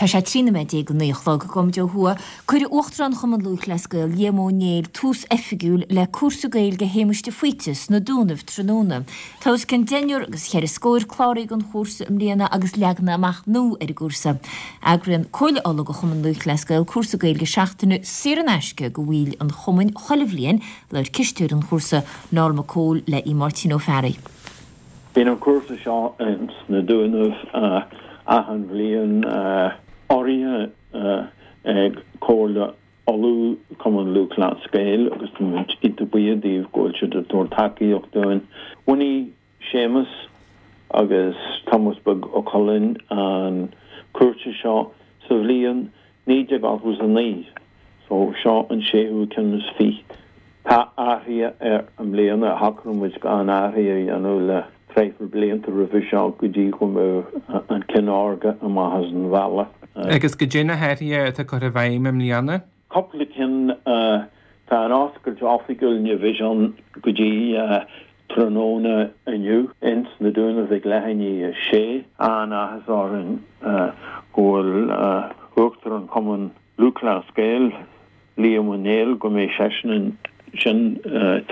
Tá sé 13 nóiméad go 9 a chlog. Gabhfaimid ó thuaidh. Cuirfidh Uachtarán Chumann Lúthchleas Gael, Liam Ó Néill, tús oifigiúil le cúrsa Gaeilge Shéamuis de Faoite sna Dúnaibh tráthnóna. Tá os cionn deichniúr agus cheithre scóir cláraithe don chúrsa i mbliana agus leaganacha amach nua ar an gcúrsa. Eagraíonn Comhairle Uladh de Chumann Lúthchleas Gael cúrsa Gaeilge seachtaine saor in aisce do bhaill an chumainn chuile bhliain, Labhair cisteoir an chúrsa, Noel Mac Cóil le Aodh Máirtín Ó Fearraigh. Bíonn an cúrsa seo ins na Dúnaibh achan bhliain, urraithe ag Comhairle Uladh, Cumann Lúthchleas Gael agus tá muid iontach buíoch díobh go bhfuil siad ag tabhairt tacaíocht dúinn. Bhunaigh Séamus agus Tomás Beag Ó Cuilinn an cúrsa seo sa bhliain 1989, so seo an séú ceann is fiche. Tá athruithe air i mbliana, shocraigh muid gan athruithe a dhéanamh le traidhfil blianta roimhe seo go dtí go mbeadh an cine órga amach as an bhealach. Agus goidé na hathruithe atá curtha i bhfeidhm i mbliana? Cúpla ceann, tá an oscailt oifigiúil ní bheidh ann go dtí tráthnóna inniu ins na Dúnaibh ag leath i ndiaidh a sé. An-áthas orainn go bhfuil Uachtarán Chumann Lúthchleas Gael, Liam Ó Néill, go mbeidh seisean ansin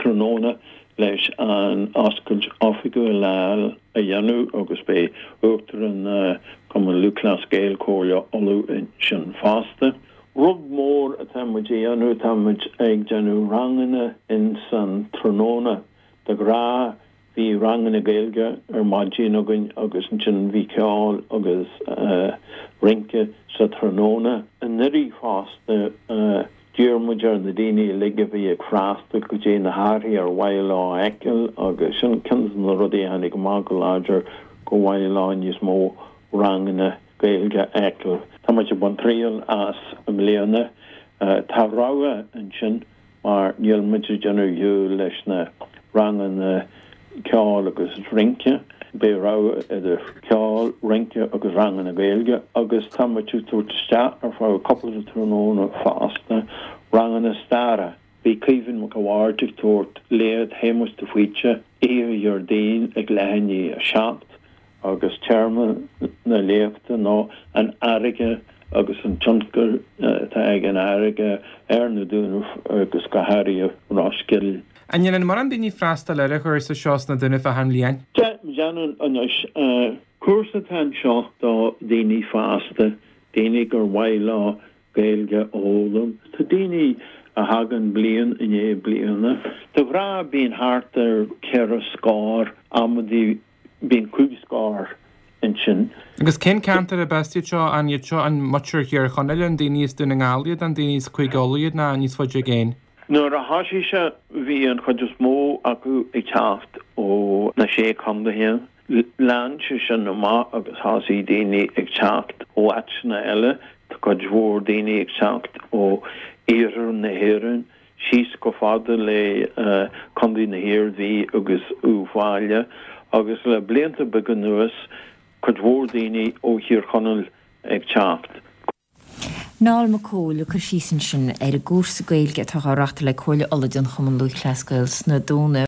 tráthnóna leis an oscailt oifigiúil a dhéanamh agus beidh Uachtarán Chumann Lúthchleas Gael, Comhairle Uladh ansin fosta. Rud mór atá muid a dhéanamh, tá muid ag déanamh ranganna ins an tráthnóna. De ghnáth bhí ranganna Gaeilge ar maidin againn agus ansin bhí ceol agus rince sa tráthnóna. Anuraidh fosta d'iarr muid ar na daoine uilig a bhí ag freastal goidé na hathruithe ar mhaith leo a fheiceáil agus sin ceann de na rudaí a tháinig amach go láidir go mhaith leo níos mó ranganna Gaeilge a fheiceáil. Tá muid ag baint triail as i mbliana. Tá rogha ansin mar níl muid ag déanamh shiúl leis na ranganna ceoil agus rince. Beidh rogha idir ceol, rince agus ranganna Gaeilge agus tá muid ag tabhairt isteach ar feadh cúpla de tráthnóna fosta ranganna staire. Beidh Caoimhín Mac a' Bhaird ag tabhairt léacht Shéamuis de Faoite oíche Dhéardaoin ag leath i ndiaidh a 7 agus téama na léachta ná an fharraige agus an tionchar atá ag an fharraige ar na Dúnaibh agus go háirithe Ros Goill. An ndéanann mórán daoine freastal ar an chúrsa seo sna Dúnaibh achan bhliain? Déanann anois. Cúrsa atá anseo do dhaoine fásta, daoine gur mhaith leo Gaeilge a fhoghlaim. Tá daoine a thagann bliain i ndiaidh bliana. De ghnáth bíonn thart ar cheithre scór, amantaí bíonn cúig scór ansin. Agus cén ceantar arb as iad seo? An iad seo an muintir Thír Chonaill, an daoine as Dún na nGall iad, an daoine as Cúige Uladh iad ná níos faide i gcéin? Nuair a thosaigh sé bhí an chuid is mó acu ag teacht ó na Sé Chontaetha. Lean sé sin amach agus thosaigh daoine ag teacht ó áiteanna eile. Tá cuid mhór daoine ag teacht ó iarthar na hÉireann síos chomh fada le Contae na hIarmhí agus Uíbh Fhailí agus le blianta beaga anuas cuid mhór daoine ó Thír Chonaill ag teacht. Noel Mac Cóil ag cur síos ansin ar an gcúrsa Gaeilge atá á reáchtáil ag Comhairle Uladh den Chumann Lúthchleas Gael sna Dúnaibh.